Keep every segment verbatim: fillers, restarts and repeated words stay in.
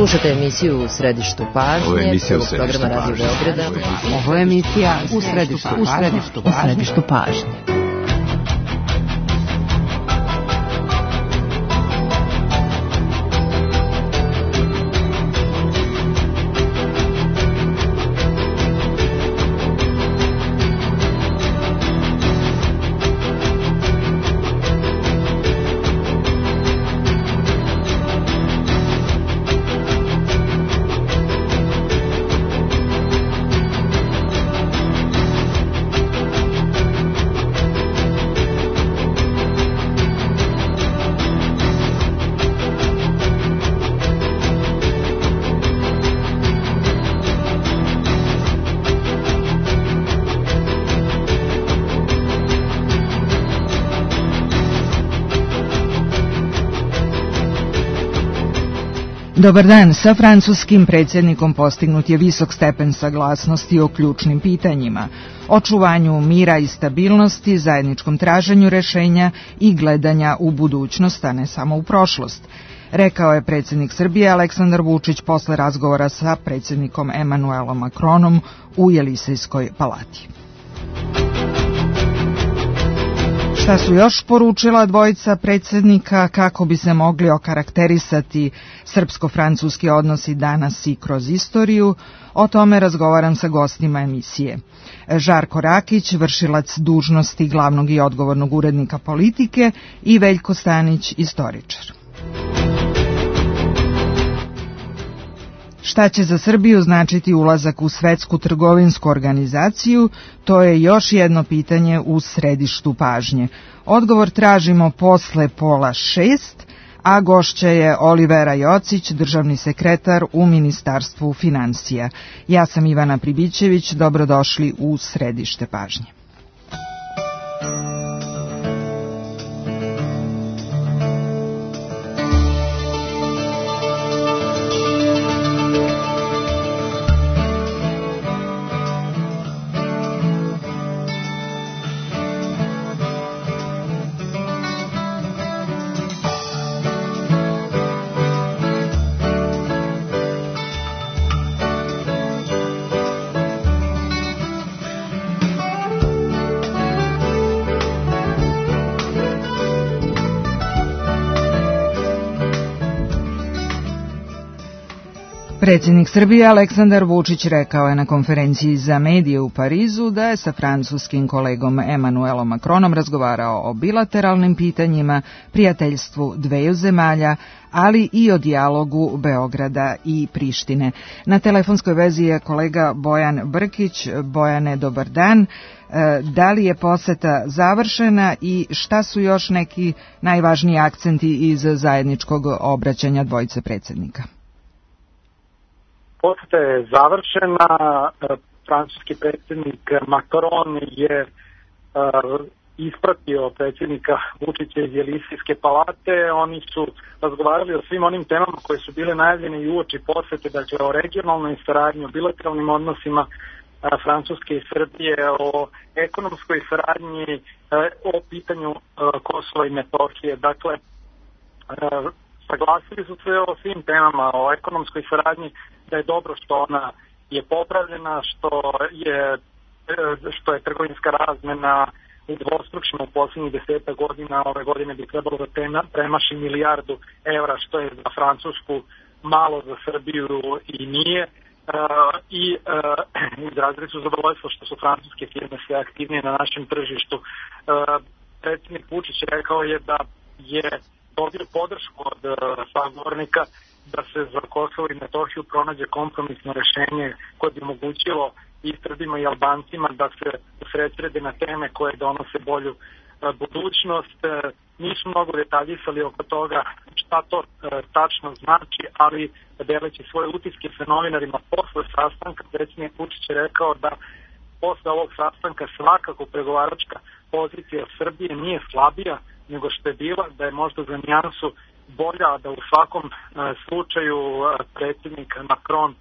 Slušate emisiju U središtu pažnje. Ovo je emisija U središtu programa Radio Beograda. Ovo je emisija U središtu pažnje. U središtu pažnje. Dobar dan, sa francuskim predsjednikom postignut je visok stepen saglasnosti o ključnim pitanjima, očuvanju mira i stabilnosti, zajedničkom traženju rešenja i gledanja u budućnost, a ne samo u prošlost, rekao je predsjednik Srbije Aleksandar Vučić posle razgovora sa predsjednikom Emanuelom Macronom u Jelisejskoj palati. Šta su još poručila dvojica predsjednika kako bi se mogli okarakterisati srpsko-francuski odnosi danas i kroz istoriju? O tome razgovaram sa gostima emisije. Žarko Rakić, vršilac dužnosti glavnog i odgovornog urednika Politike, i Veljko Stanić, istoričar. Šta će za Srbiju značiti ulazak u Svetsku trgovinsku organizaciju, to je još jedno pitanje u središtu pažnje. Odgovor tražimo posle pola šest, a gošća je Olivera Jocić, državni sekretar u Ministarstvu finansija. Ja sam Ivana Pribićević, dobrodošli u središte pažnje. Predsjednik Srbije Aleksandar Vučić rekao je na konferenciji za medije u Parizu da je sa francuskim kolegom Emanuelom Macronom razgovarao o bilateralnim pitanjima, prijateljstvu dveju zemalja, ali i o dijalogu Beograda i Prištine. Na telefonskoj vezi je kolega Bojan Brkić. Bojane, dobar dan. Da li je poseta završena i šta su još neki najvažniji akcenti iz zajedničkog obraćanja dvojice predsjednika? Poseta je završena, francuski predsjednik Macron je uh, ispratio predsjednika Vučića iz Jelisejske palate. Oni su razgovarali o svim onim temama koje su bile najavljene i uoči posete, dakle o regionalnoj saradnji, o bilateralnim odnosima uh, Francuske i Srbije, o ekonomskoj saradnji, uh, o pitanju uh, Kosova i Metohije. Dakle, uh, saglasili su se o svim temama, o ekonomskoj saradnji, da je dobro što ona je popravljena, što je, što je trgovinska razmena udvostručena u posljednjih deseta godina. Ove godine bi trebalo da premaši milijardu evra, što je za Francusku malo, za Srbiju i nije. I izrazili su zadovoljstvo što su francuske firme sve aktivnije na našem tržištu. Predsjednik Vučić rekao je da je dobio podršku od sagovornika da se za Kosovo i Metohiju pronađe kompromisno rešenje koje bi omogućilo i Srbima i Albancima da se usredsrede na teme koje donose bolju budućnost. Nisu mnogo detaljisali oko toga šta to tačno znači, ali deleći svoje utiske sa novinarima posle sastanka, predsjednik Vučić je rekao da posle ovog sastanka svakako pregovaračka pozicija Srbije nije slabija nego što je bila, da je možda za nijansu bolja, da u svakom uh, slučaju uh, predsjednik Macron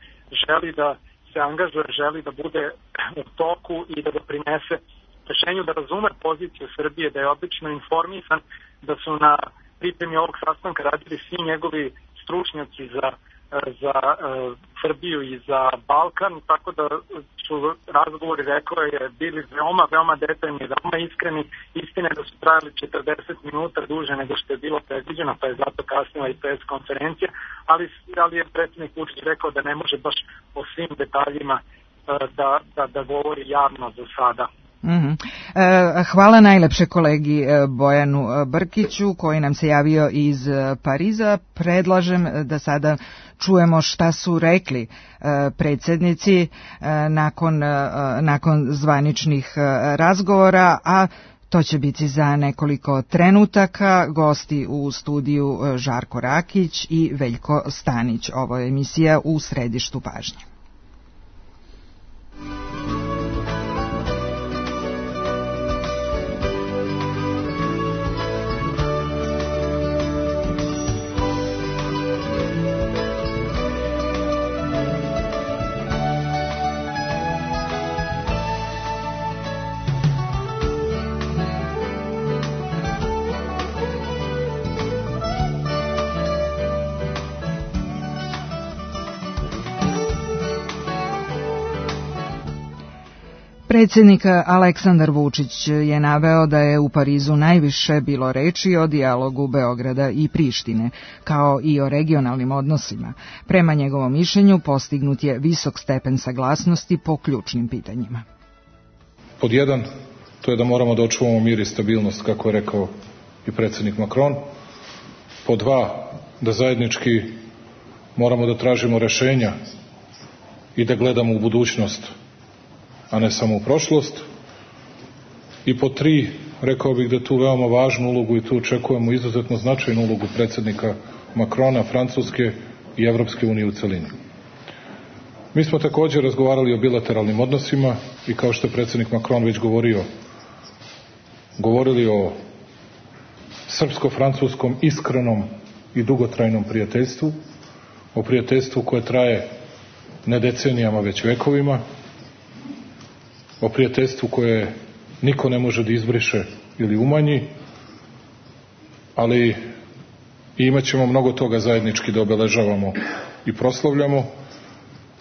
želi da se angažuje, želi da bude u toku i da doprinese rešenju, da razume poziciju Srbije, da je odlično informisan, da su na pripremi ovog sastanka radili svi njegovi stručnjaci za za Srbiju i za Balkan, tako da su razgovori, rekao je, bili veoma, veoma detaljni, veoma iskreni. Istine da su trajali četrdeset minuta duže nego što je bilo predviđeno, pa je zato kasnila i pres konferencija, ali, ali je predsjednik Vučić rekao da ne može baš o svim detaljima da, da, da govori javno za sada. Mm-hmm. Hvala najlepše kolegi Bojanu Brkiću koji nam se javio iz Pariza. Predlažem da sada čujemo šta su rekli predsjednici nakon, nakon zvaničnih razgovora, a to će biti za nekoliko trenutaka. Gosti u studiju Žarko Rakić i Veljko Stanić. Ovo je emisija U središtu pažnje. Predsjednik Aleksandar Vučić je naveo da je u Parizu najviše bilo reči o dijalogu Beograda i Prištine, kao i o regionalnim odnosima. Prema njegovom mišljenju postignut je visok stepen saglasnosti po ključnim pitanjima. Pod jedan, to je da moramo da očuvamo mir i stabilnost, kako je rekao i predsjednik Macron. Pod dva, da zajednički moramo da tražimo rešenja i da gledamo u budućnost, a ne samo u prošlost. I po tri, rekao bih da tu veoma važnu ulogu i tu očekujemo izuzetno značajnu ulogu predsjednika Macrona, Francuske i Evropske unije u celini. Mi smo također razgovarali o bilateralnim odnosima i kao što je predsjednik Macron već govorio, govorili o srpsko-francuskom iskrenom i dugotrajnom prijateljstvu, o prijateljstvu koje traje ne decenijama već vekovima, o prijateljstvu koje niko ne može da izbriše ili umanji, ali imat ćemo mnogo toga zajednički da obeležavamo i proslavljamo,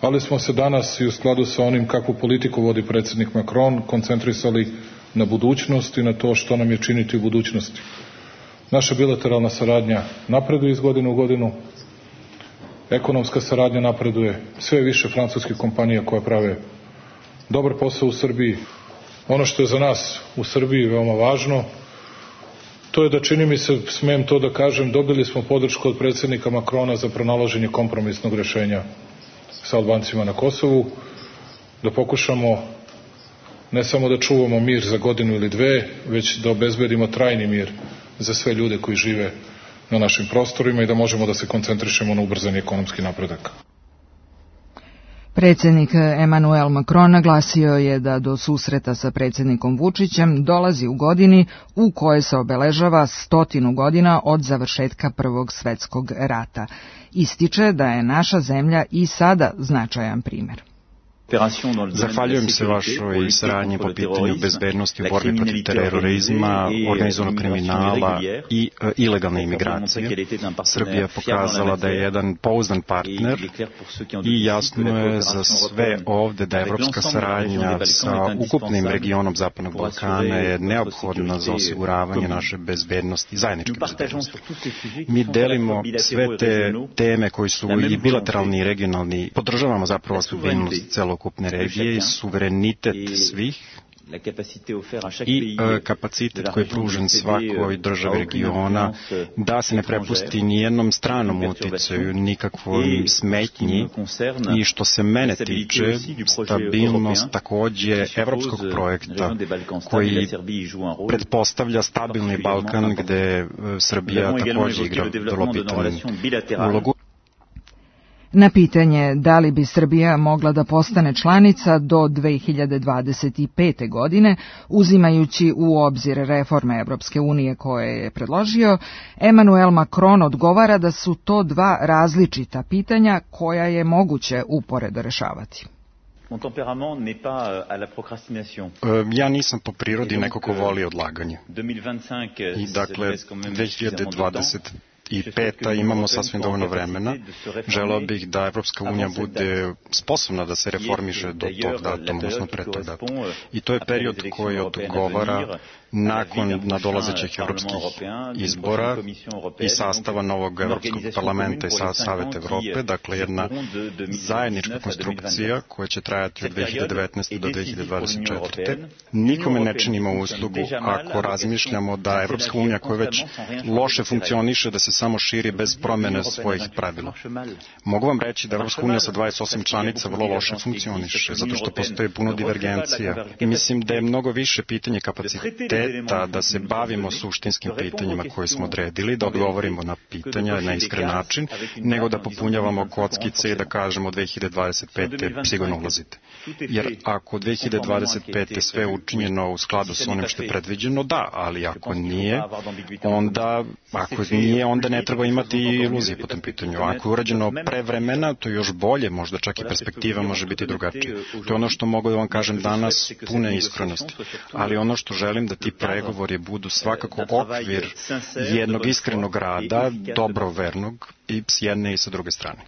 ali smo se danas i u skladu sa onim kakvu politiku vodi predsjednik Macron koncentrisali na budućnost i na to što nam je činiti u budućnosti. Naša bilateralna saradnja napreduje iz godine u godinu, ekonomska saradnja napreduje, sve više francuskih kompanija koje prave dobar posao u Srbiji. Ono što je za nas u Srbiji veoma važno, to je da, čini mi se, smem to da kažem, dobili smo podršku od predsjednika Macrona za pronalaženje kompromisnog rešenja sa Albancima na Kosovu, da pokušamo ne samo da čuvamo mir za godinu ili dve, već da obezbedimo trajni mir za sve ljude koji žive na našim prostorima i da možemo da se koncentrišemo na ubrzani ekonomski napredak. Predsjednik Emmanuel Macron naglasio je da do susreta sa predsjednikom Vučićem dolazi u godini u kojoj se obeležava stotinu godina od završetka Prvog svjetskog rata. Ističe da je naša zemlja i sada značajan primjer. Zahvaljujem se vašoj saradnji po pitanju bezbednosti u borbi protiv terorizma, organizovanog kriminala i e, ilegalne imigracije. Srbija je pokazala da je jedan pouzdan partner i jasno je za sve ovde da evropska saradnja sa ukupnim regionom Zapadnog Balkana je neophodna za osiguravanje naše bezbednosti, zajedničke bezbednosti. Mi delimo sve te teme koji su i bilateralni i regionalni, podržavamo zapravo stabilnost celog ukupne regije i suverenitet svih i e, kapacitet koji je pružen svakoj državi regiona da se ne prepusti nijednom stranom uticaju, nikakvom smetnji i što se mene tiče stabilnost takođe evropskog projekta koji pretpostavlja stabilni Balkan gde Srbija takođe igra vrlo bitnu ulogu. Na pitanje da li bi Srbija mogla da postane članica do dve hiljade dvadeset pete. godine, uzimajući u obzir reforme Evropske unije koje je predložio, Emmanuel Macron odgovara da su to dva različita pitanja koja je moguće uporedo rešavati. Ja nisam po prirodi neko ko voli odlaganje. I dakle, dve hiljade dvadeset peta imamo sasvim dovoljno vremena. Želeo bih da Evropska unija bude sposobna da se reformiše do tog datuma, odnosno pre tog datuma. I to je period koji odgovara nakon nadolazećih evropskih izbora i sastava novog Evropskog parlamenta i Saveta Evrope, dakle jedna zajednička konstrukcija koja će trajati od dve hiljade devetnaeste do dve hiljade dvadeset četvrte. Nikome ne činimo uslugu ako razmišljamo da Evropska unija koja već loše funkcioniše, da se samo širi bez promene svojih pravila. Mogu vam reći da Evropska unija sa dvadeset osam članica vrlo loše funkcioniše, zato što postoji puno divergencija. I mislim da je mnogo više pitanje kapaciteta da se bavimo suštinskim pitanjima koje smo odredili, da odgovorimo na pitanja na iskren način, nego da popunjavamo kockice i da kažemo dve hiljade dvadeset pete sigurno ulazite. Jer ako dve hiljade dvadeset pete sve učinjeno u skladu sa onim što je predviđeno, da, ali ako nije, onda, ako nije, onda ne treba imati iluzije po tom pitanju. Ako je urađeno pre vremena, to je još bolje, možda čak i perspektiva može biti drugačija. To je ono što mogu da vam kažem danas, pune iskrenosti. Ali ono što želim da ti pregovori budu svakako okvir jednog iskrenog rada, dobrovernog i s jedne i sa druge strane.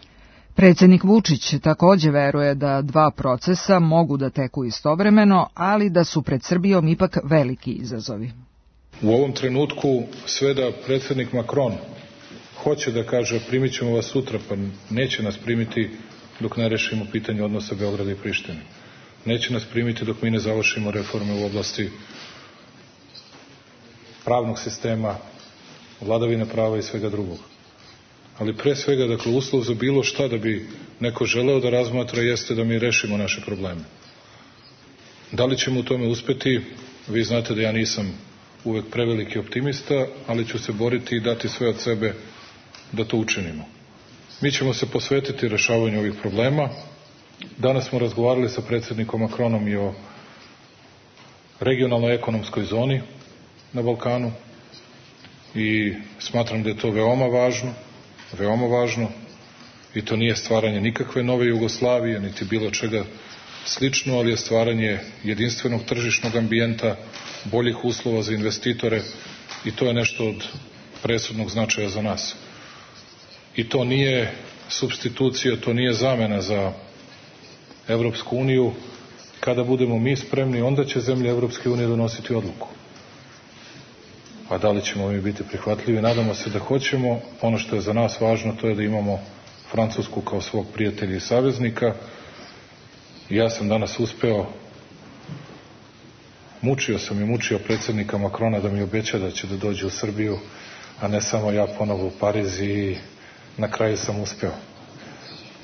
Predsjednik Vučić takođe veruje da dva procesa mogu da teku istovremeno, ali da su pred Srbijom ipak veliki izazovi. U ovom trenutku sve da predsjednik Macron hoće da kaže primit ćemo vas sutra, pa neće nas primiti dok ne rešimo pitanje odnosa Beograda i Prištine. Neće nas primiti dok mi ne završimo reforme u oblasti pravnog sistema, vladavine prava i svega drugog. Ali pre svega, dakle, uslov za bilo šta da bi neko želeo da razmatra jeste da mi rešimo naše probleme. Da li ćemo u tome uspeti? Vi znate da ja nisam uvek preveliki optimista, ali ću se boriti i dati sve od sebe da to učinimo. Mi ćemo se posvetiti rešavanju ovih problema. Danas smo razgovarali sa predsjednikom Macronom i o regionalnoj ekonomskoj zoni na Balkanu i smatram da je to veoma važno, veoma važno i to nije stvaranje nikakve nove Jugoslavije, niti bilo čega slično, ali je stvaranje jedinstvenog tržišnog ambijenta, boljih uslova za investitore i to je nešto od presudnog značaja za nas. I to nije supstitucija, to nije zamena za Evropsku uniju. Kada budemo mi spremni, onda će zemlje Evropske unije donositi odluku. A da li ćemo mi biti prihvatljivi? Nadamo se da hoćemo. Ono što je za nas važno, to je da imamo Francusku kao svog prijatelja i saveznika. Ja sam danas uspeo, mučio sam i mučio predsjednika Macrona da mi obeća da će da dođe u Srbiju, a ne samo ja ponovo u Pariz i na kraju sam uspeo.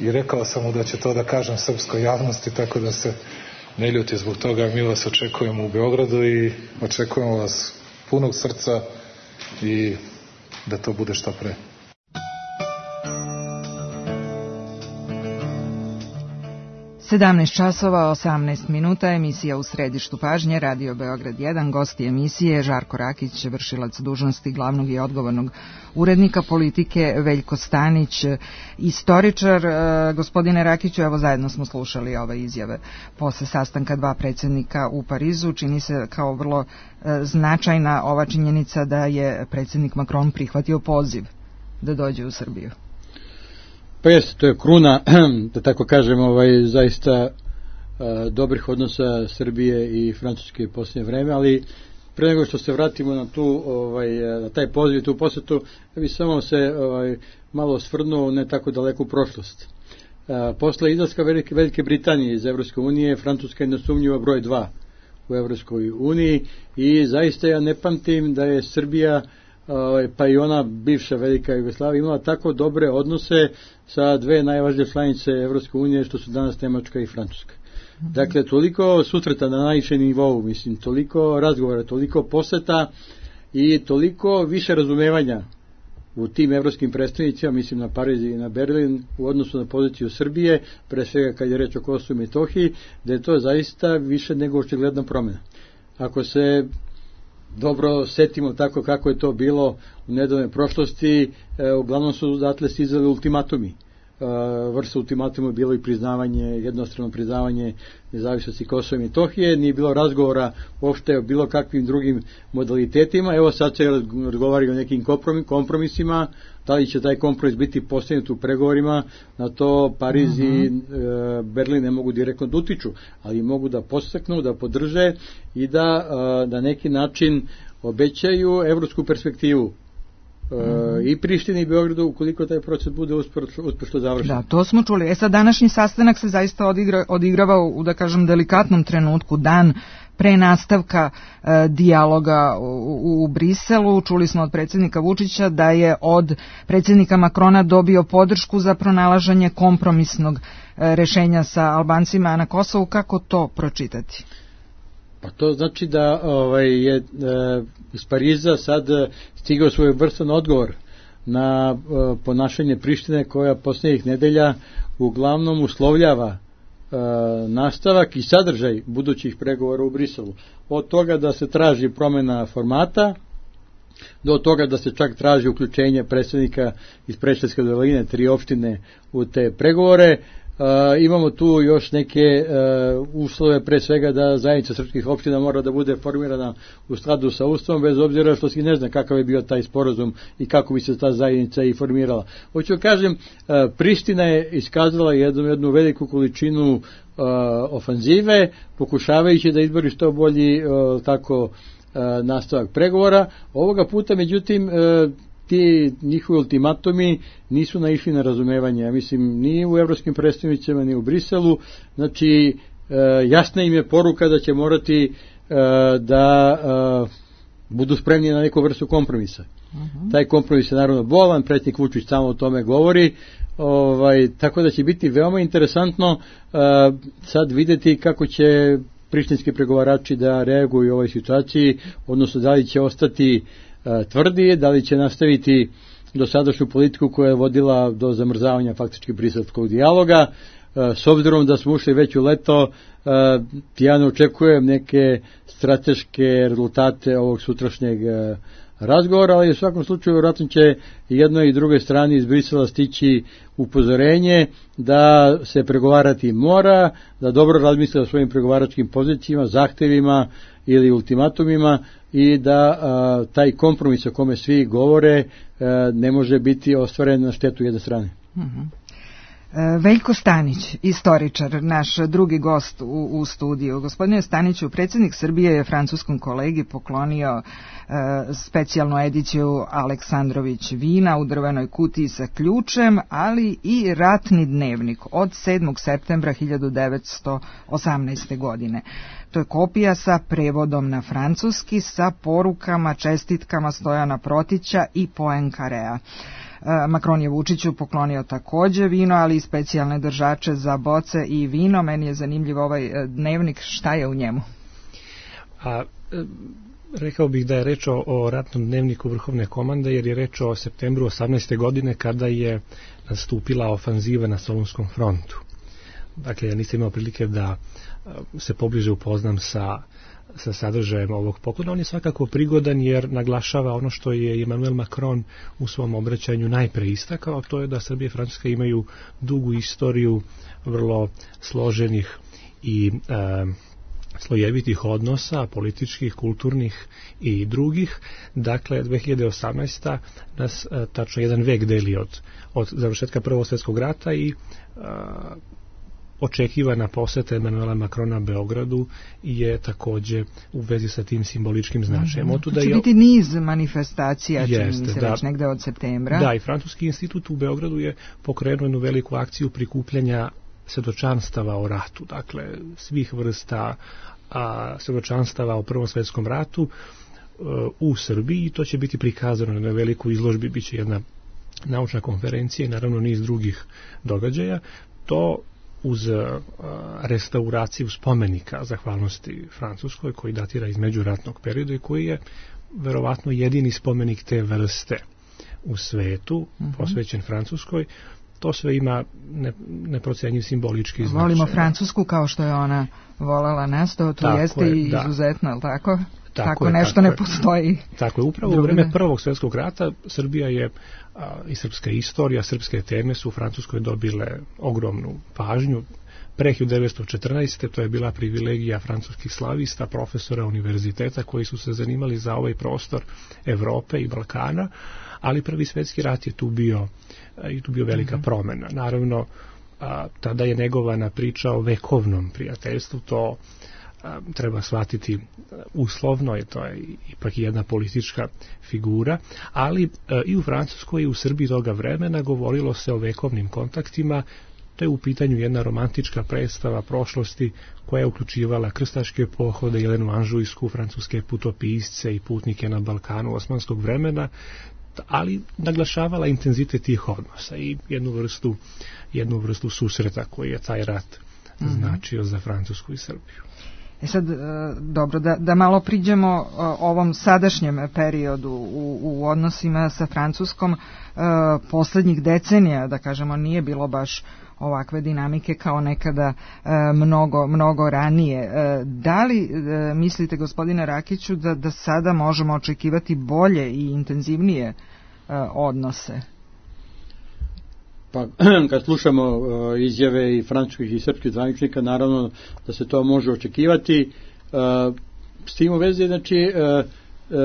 I rekao sam mu da će to da kažem srpskoj javnosti, tako da se ne ljuti zbog toga. Mi vas očekujemo u Beogradu i očekujemo vas punog srca i da to bude što pre. sedamnaest časova osamnaest minuta, emisija U središtu pažnje, Radio Beograd jedan, gosti emisije Žarko Rakić, vršilac dužnosti glavnog i odgovornog urednika politike, Veljko Stanić, istoričar. Gospodine Rakiću, evo zajedno smo slušali ove izjave posle sastanka dva predsjednika u Parizu. Čini se kao vrlo značajna ova činjenica da je predsjednik Macron prihvatio poziv da dođe u Srbiju. Pa jeste, to je kruna, da tako kažem, ovaj, zaista a, dobrih odnosa Srbije i Francuske u posljednje vreme, ali pre nego što se vratimo na tu, ovaj, na taj poziv, tu posjetu, ja bih samo se ovaj, malo osvrnuo ne tako daleku prošlost. A, posle izlaska Velike, Velike Britanije iz Evropske unije, Francuska je nesumnjivo broj dva u Evropskoj uniji i zaista ja ne pamtim da je Srbija, pa i ona bivša Velika Jugoslavija, imala tako dobre odnose sa dve najvažnije članice Evropske unije što su danas Nemačka i Francuska. Dakle, toliko susreta na najvišem nivou, mislim, toliko razgovora, toliko poseta i toliko više razumevanja u tim evropskim predstavnicima, mislim na Pariz i na Berlin, u odnosu na poziciju Srbije, pre svega kad je reč o Kosovu i Metohiji, da je to zaista više nego očigledna promjena. Ako se dobro setimo tako kako je to bilo u nedavnoj prošlosti, e, uglavnom su odatle stizali ultimatumi vrsta ultimatuma bilo i priznavanje, jednostrano priznavanje nezavisnosti Kosova i Metohije, nije bilo razgovora uopšte o bilo kakvim drugim modalitetima. Evo sad se razgovara o nekim kompromisima, da li će taj kompromis biti postignut u pregovorima, na to Pariz uh-huh. i e, Berlin ne mogu direktno da utiču, ali mogu da podstaknu, da podrže i da e, na neki način obećaju evropsku perspektivu Uh, i Prištini i Beogradu ukoliko taj proces bude uspešno završen. Da, to smo čuli. E sad, današnji sastanak se zaista odigra, odigrava u, da kažem, delikatnom trenutku, dan pre nastavka e, dijaloga u, u Briselu. Čuli smo od predsjednika Vučića da je od predsjednika Makrona dobio podršku za pronalaženje kompromisnog e, rešenja sa Albancima na Kosovu. Kako to pročitati? Pa to znači da ovaj, je e, iz Pariza sad stigao svoj vrstan odgovor na e, ponašanje Prištine koja posljednjih nedelja uglavnom uslovljava e, nastavak i sadržaj budućih pregovora u Briselu. Od toga da se traži promjena formata, do toga da se čak traži uključenje predsjednika iz Preševske doline, tri opštine u te pregovore. Uh, imamo tu još neke uh, uslove, pre svega da zajednica srpskih opština mora da bude formirana u skladu sa Ustavom, bez obzira što se ne zna kakav je bio taj sporazum i kako bi se ta zajednica i formirala. Hoću kažem, uh, Priština je iskazala jednu, jednu veliku količinu uh, ofanzive, pokušavajući da izbori što bolji uh, tako uh, nastavak pregovora. Ovoga puta, međutim, uh, ti njihovi ultimatumi nisu naišli na razumevanje, ja mislim, ni u evropskim predstavnicama, ni u Briselu. Znači, e, jasna im je poruka da će morati e, da e, budu spremni na neku vrstu kompromisa. Uh-huh. Taj kompromis je naravno bolan, predsjednik Vučić samo o tome govori, ovaj, tako da će biti veoma interesantno e, sad vidjeti kako će prištinski pregovarači da reaguju u ovoj situaciji, odnosno da li će ostati tvrdi, da li će nastaviti dosadašnju politiku koja je vodila do zamrzavanja faktički briselskog dijaloga. S obzirom da smo ušli već u leto, ja ne očekujem neke strateške rezultate ovog sutrašnjeg razgovora, ali u svakom slučaju vjerojatno će jednoj i drugoj strani iz Brisela stići upozorenje da se pregovarati mora, da dobro razmisle o svojim pregovaračkim pozicijama, zahtevima ili ultimatumima i da a, taj kompromis o kome svi govore a, ne može biti ostvaren na štetu jedne strane. Uh-huh. Veljko Stanić, istoričar, naš drugi gost u, u studiju. Gospodine Staniću, predsjednik Srbije je francuskom kolegi poklonio e, specijalnu ediciju Aleksandrović vina u drvenoj kutiji sa ključem, ali i ratni dnevnik od sedmog septembra hiljadu devetsto osamnaeste. godine. To je kopija sa prevodom na francuski, sa porukama, čestitkama Stojana Protića i Poenkarea. Makron je Vučiću poklonio takođe vino, ali i specijalne držače za boce i vino. Meni je zanimljiv ovaj dnevnik, šta je u njemu? A, rekao bih da je reč o, o ratnom dnevniku Vrhovne komande, jer je reč o septembru osamnaeste. godine kada je nastupila ofanziva na Solunskom frontu. Dakle, ja nisam imao prilike da se pobliže upoznam sa sa sadržajem ovog poklona. On je svakako prigodan jer naglašava ono što je Emmanuel Macron u svom obraćanju najpre istakao, to je da Srbija i Francuska imaju dugu istoriju vrlo složenih i e, slojevitih odnosa, političkih, kulturnih i drugih. Dakle, dve hiljade osamnaesta. nas e, tačno jedan vek deli od, od završetka Prvog svjetskog rata i e, očekivana poseta Emmanuela Macrona Beogradu je takođe u vezi sa tim simboličkim značajem. Mm-hmm. Će je... biti niz manifestacija, čini mi se, da, već negde od septembra. Da, i Francuski institut u Beogradu je pokrenuo jednu veliku akciju prikupljanja svedočanstava o ratu, dakle svih vrsta a, svedočanstava o Prvom svjetskom ratu a, u Srbiji, i to će biti prikazano na velikoj izložbi, bit će jedna naučna konferencija i naravno niz drugih događaja. To uz a, restauraciju spomenika zahvalnosti Francuskoj, koji datira iz međuratnog perioda i koji je verovatno jedini spomenik te vrste u svetu, uh-huh. posvećen Francuskoj. To sve ima ne, neprocenjiv simbolički značaj. Volimo Francusku kao što je ona volala nas, to, to jeste je, i da. izuzetno, ali tako? tako, tako je, nešto tako ne je. Postoji. Tako je, upravo u vreme Prvog svjetskog rata Srbija je a, i srpska istorija, srpske teme su u Francuskoj dobile ogromnu pažnju. Pre hiljadu devetsto četrnaeste. to je bila privilegija francuskih slavista, profesora univerziteta koji su se zanimali za ovaj prostor Evrope i Balkana, ali Prvi svjetski rat je tu bio, i tu bio velika promena. Naravno, a, tada je negovana priča o vekovnom prijateljstvu, to a, treba shvatiti uslovno, je to je ipak jedna politička figura, ali a, i u Francuskoj i u Srbiji toga vremena govorilo se o vekovnim kontaktima. To je u pitanju jedna romantička predstava prošlosti koja je uključivala krstaške pohode, Jelenu Anžujsku, francuske putopisce i putnike na Balkanu osmanskog vremena, ali naglašavala intenzitet tih odnosa i jednu vrstu, jednu vrstu susreta koji je taj rat mm-hmm. značio za Francusku i Srbiju. E sad, dobro, da, da malo priđemo ovom sadašnjem periodu u, u odnosima sa Francuskom. Poslednjih decenija, da kažemo, nije bilo baš ovakve dinamike kao nekada mnogo, mnogo ranije. Da li mislite, gospodine Rakiću, da, da sada možemo očekivati bolje i intenzivnije odnose? Pa, kad slušamo uh, izjave i francuskih i srpskih zvaničnika, naravno da se to može očekivati. Uh, s tim u vezi, znači, uh, uh,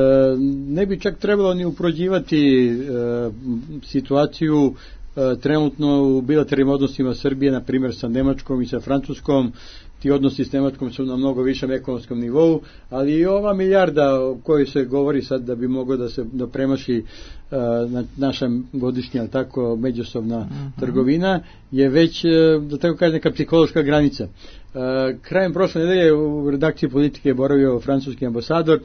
ne bi čak trebalo ni uprođivati uh, situaciju uh, trenutno u bilateralnim odnosima Srbije, na primjer sa Nemačkom i sa Francuskom. Ti odnosi s Nemačkom su na mnogo višem ekonomskom nivou, ali i ova milijarda o kojoj se govori sad da bi moglo da se da premaši uh, na, naša godišnja, tako, međusobna uh-huh. trgovina, je već, da tako kažem, neka psihološka granica. Uh, krajem prošle nedelje u redakciji Politike je boravio francuski ambasador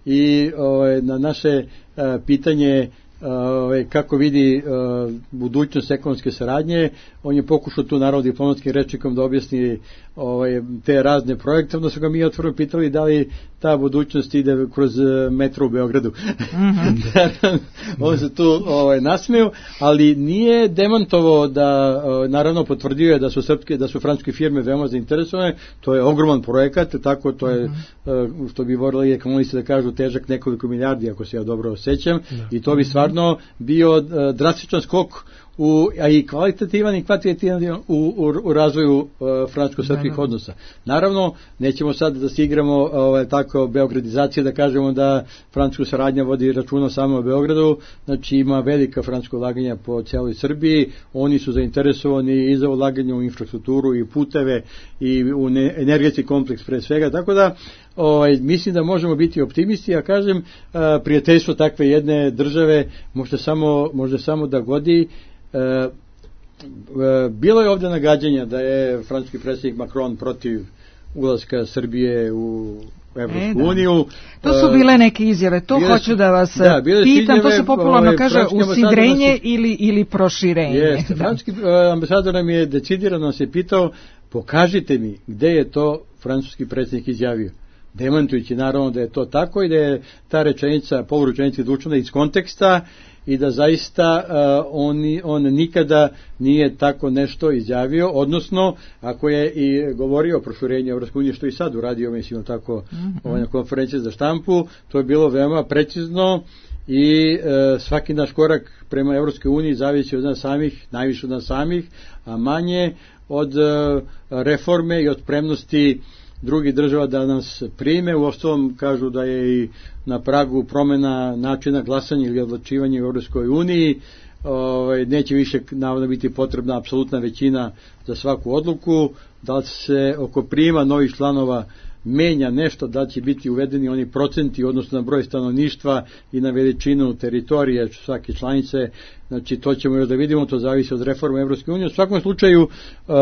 i uh, na naše uh, pitanje Uh, kako vidi uh, budućnost ekonomske saradnje, on je pokušao tu naravno diplomatskim rečnikom da objasni ovaj, te razne projekte, onda su ga mi otvoreno pitali da li ta budućnost ide kroz metro u Beogradu. Mm-hmm. On se tu ovaj, nasmeo, ali nije demantovao da, naravno potvrdio je da su srpske, da su francuske firme veoma zainteresovane, to je ogroman projekat, tako to je, mm-hmm. što bi volili ekonomisti da kažu, težak nekoliko milijardi, ako se ja dobro osjećam, da. I to bi stvarno bio drastičan skok u, a i kvalitativan i kvantitativan u, u, u razvoju uh, francusko-srpskih odnosa. Naravno, nećemo sad da se igramo ovaj, tako beogradizacije, da kažemo da francuska saradnja vodi računa samo o Beogradu, znači ima velika francuska ulaganja po cijeloj Srbiji, oni su zainteresovani i za ulaganje u infrastrukturu i puteve i u ne, energetski kompleks pre svega, tako da ovaj, mislim da možemo biti optimisti, a kažem, uh, prijateljstvo takve jedne države može samo, može samo da godi. E, e, bilo je ovdje nagađanja da je francuski predsjednik Macron protiv ulaska Srbije u Evropsku e, uniju. To su bile neke izjave, to bile, hoću da vas da, pitam, izjave, to se popularno ovaj, kaže usidrenje nas, ili, ili proširenje. Jeste, francuski ambasador nam je decidirano se pitao, pokažite mi gde je to francuski predsjednik izjavio. Demantujući naravno da je to tako i da je ta rečenica, poluručenica izvučena iz konteksta i da zaista uh, on, on nikada nije tako nešto izjavio, odnosno ako je i govorio o proširenju Evropske unije, što i sad uradio, mislim tako, mm-hmm. ovaj, na konferenciji za štampu, to je bilo veoma precizno i uh, svaki naš korak prema Evropskoj uniji zavisi od nas samih, najviše od nas samih, a manje od uh, reforme i od spremnosti drugih država da nas prime. Uostalom kažu da je i na pragu promjena načina glasanja ili odlučivanja u Europskoj uniji. Ovaj, neće više navodno biti potrebna apsolutna većina za svaku odluku. Da li se oko prijema novih članova menja nešto, da li će biti uvedeni oni procenti odnosno na broj stanovništva i na veličinu teritorije svake članice. Znači to ćemo još da vidimo, to zavisi od reforme Europske unije. U svakom slučaju uh,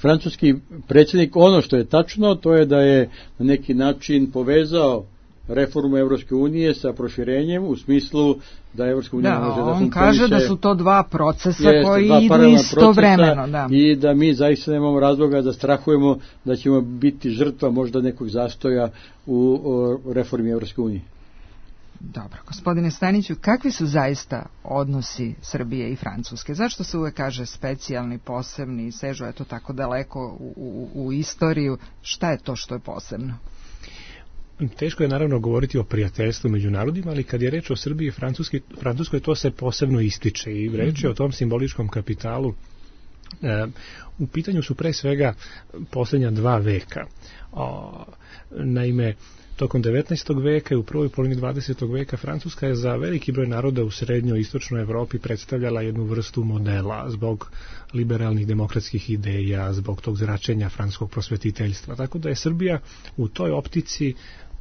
francuski predsjednik, ono što je tačno, to je da je na neki način povezao reformu Evropske unije sa proširenjem u smislu da Evropska unija da, može da on funkcioniše. Kaže da su to dva procesa jest, koji dva idu istovremeno. Da. I da mi zaista nemamo razloga da strahujemo da ćemo biti žrtva možda nekog zastoja u o, reformi Evropske unije. Dobro, gospodine Staniću, kakvi su zaista odnosi Srbije i Francuske? Zašto se uvek kaže specijalni, posebni, sežu je to tako daleko u, u, u istoriju? Šta je to što je posebno? teško je naravno govoriti o prijateljstvu među narodima, ali kad je reč o Srbiji i Francuskoj, Francuskoj to se posebno ističe i reč je o tom simboličkom kapitalu. E, u pitanju su pre svega posljednja dva veka. O, naime, tokom devetnaestog veka i u prvoj polovini dvadesetog veka Francuska je za veliki broj naroda u srednjoj i istočnoj Evropi predstavljala jednu vrstu modela zbog liberalnih demokratskih ideja, zbog tog zračenja francuskog prosvetiteljstva. Tako da je Srbija u toj optici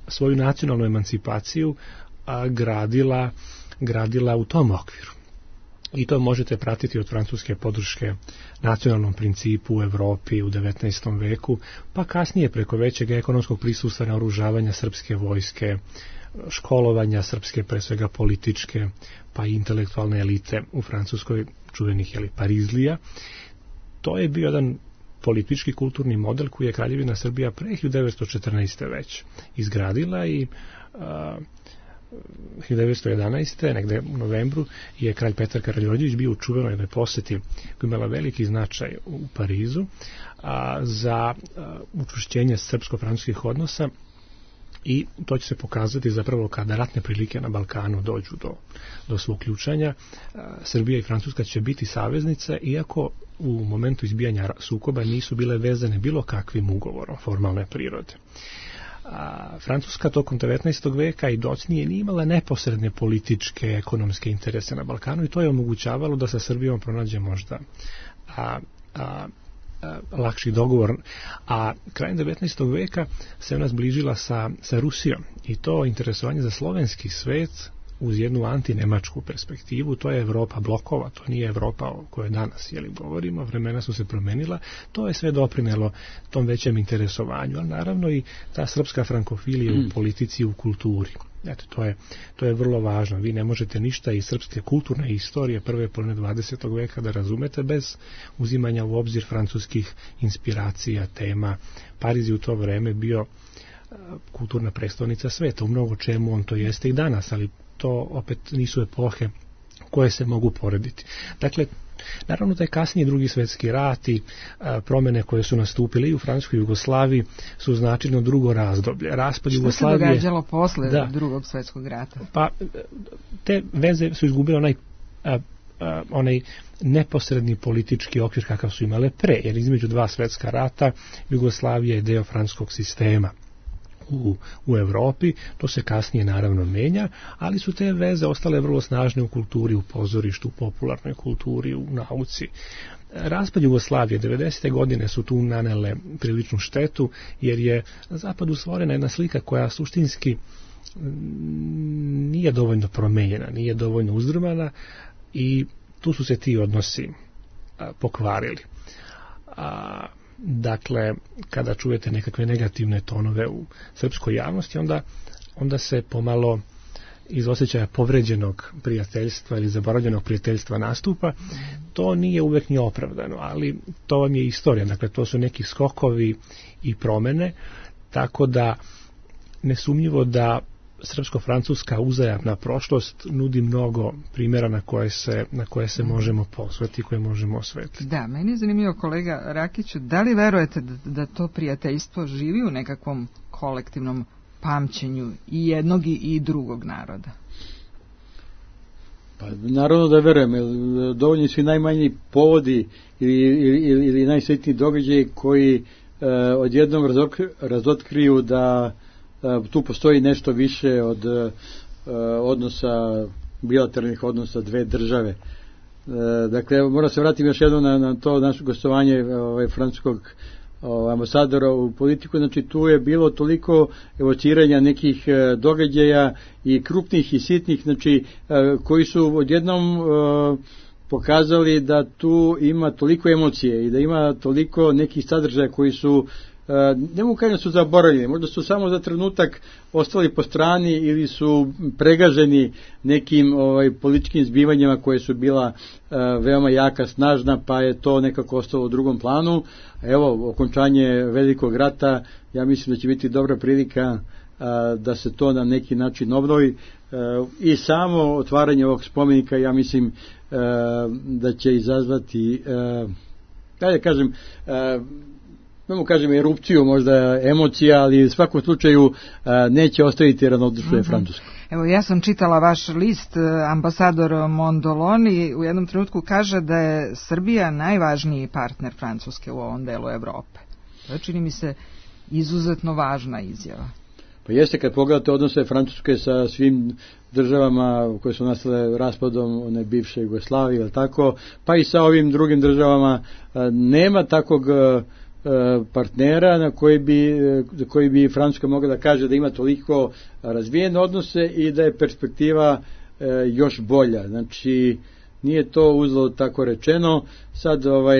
svoju nacionalnu emancipaciju a, gradila, gradila u tom okviru. I to možete pratiti od francuske podrške nacionalnom principu u Evropi u devetnaestom veku, pa kasnije preko većeg ekonomskog prisustva naoružavanja srpske vojske, školovanja srpske, pre svega političke, pa i intelektualne elite u Francuskoj, čuvenih jeli, Parizlija. To je bio jedan politički kulturni model koji je Kraljevina Srbija pre hiljadu devetsto četrnaeste. već izgradila i a, hiljadu devetsto jedanaeste. negde u novembru je kralj Petar Karađorđević bio u čuvenoj jednoj poseti koja imala veliki značaj u Parizu a, za a, učvršćenje srpsko-francuskih odnosa i to će se pokazati zapravo kada ratne prilike na Balkanu dođu do, do svog ključanja. A, Srbija i Francuska će biti saveznice, iako u momentu izbijanja sukoba nisu bile vezane bilo kakvim ugovorom formalne prirode. A Francuska tokom devetnaestog veka i docnije nije imala neposredne političke, ekonomske interese na Balkanu i to je omogućavalo da sa Srbijom pronađe možda a, a, a, lakši dogovor. A krajem devetnaestog veka se ona zbližila sa, sa Rusijom i to interesovanje za slovenski svet uz jednu antinemačku perspektivu, to je Evropa blokova, to nije Evropa o kojoj danas jeli, govorimo, vremena su se promenila, to je sve doprinelo tom većem interesovanju, ali naravno i ta srpska frankofilija mm. u politici i u kulturi. Eto, to je, to je vrlo važno. Vi ne možete ništa iz srpske kulturne istorije prve polovine dvadesetog veka da razumete bez uzimanja u obzir francuskih inspiracija, tema. Pariz je u to vreme bio kulturna prestolnica sveta, u mnogo čemu on to jeste i danas, ali to opet nisu epohe koje se mogu porediti. Dakle, naravno da je kasnije drugi svjetski rat i a, promjene koje su nastupile i u Francuskoj Jugoslaviji su značajno drugo razdoblje. Raspad Što Jugoslavije... se događalo posle da, drugog svjetskog rata? Pa, te veze su izgubile onaj, a, a, onaj neposredni politički okvir kakav su imale pre, jer između dva svjetska rata Jugoslavija je deo francuskog sistema u, u Evropi, to se kasnije naravno menja, ali su te veze ostale vrlo snažne u kulturi, u pozorištu, u popularnoj kulturi, u nauci. Raspad Jugoslavije, devedesete godine su tu nanele priličnu štetu, jer je na zapadu stvorena jedna slika koja suštinski nije dovoljno promenjena, nije dovoljno uzdrmana i tu su se ti odnosi a, pokvarili. A, Dakle, kada čujete nekakve negativne tonove u srpskoj javnosti, onda, onda se pomalo iz osjećaja povređenog prijateljstva ili zaboravljenog prijateljstva nastupa. To nije uvek ni opravdano, ali to vam je istorija. Dakle, to su neki skokovi i promene, tako da nesumnjivo da srpsko-francuska uzajamna prošlost nudi mnogo primjera na koje se, na koje se možemo posvetiti, koje možemo osvetiti. Da, meni je zanimljivo, kolega Rakiću, da li verujete da, da to prijateljstvo živi u nekakvom kolektivnom pamćenju i jednog i drugog naroda? Pa naravno da verujem, jer dovoljni su i najmanji povodi ili, ili, ili najsvetniji događaji koji e, odjednom razok, razotkriju da tu postoji nešto više od uh, odnosa, bilateralnih odnosa dve države. Uh, dakle, moram se vratiti još jednom na, na to naše gostovanje ovaj, francuskog ovaj, ambasadora u politiku. Znači, tu je bilo toliko evociranja nekih uh, događaja i krupnih i sitnih, znači, uh, koji su odjednom uh, pokazali da tu ima toliko emocije i da ima toliko nekih sadržaja koji su ne mogu kažem su zaboravljeni, možda su samo za trenutak ostali po strani ili su pregaženi nekim ovaj, političkim zbivanjima koje su bila uh, veoma jaka, snažna, pa je to nekako ostalo u drugom planu. Evo, okončanje velikog rata, ja mislim da će biti dobra prilika uh, da se to na neki način obnovi uh, i samo otvaranje ovog spomenika, ja mislim uh, da će izazvati uh, da kažem uh, imamo, kažem, erupciju možda emocija, ali u svakom slučaju neće ostaviti ravnodušne mm-hmm. Francuske. Evo, ja sam čitala vaš list, ambasador Mondoloni u jednom trenutku kaže da je Srbija najvažniji partner Francuske u ovom delu Evrope. To čini mi se izuzetno važna izjava. Pa jeste, kad pogledate odnose Francuske sa svim državama koje su nastale raspadom one bivše Jugoslavije, ili tako, pa i sa ovim drugim državama, nema takvog partnera na koji bi, koji bi Francuska mogla da kaže da ima toliko razvijene odnose i da je perspektiva još bolja. Znači, nije to uzalud tako rečeno. Sad, ovaj,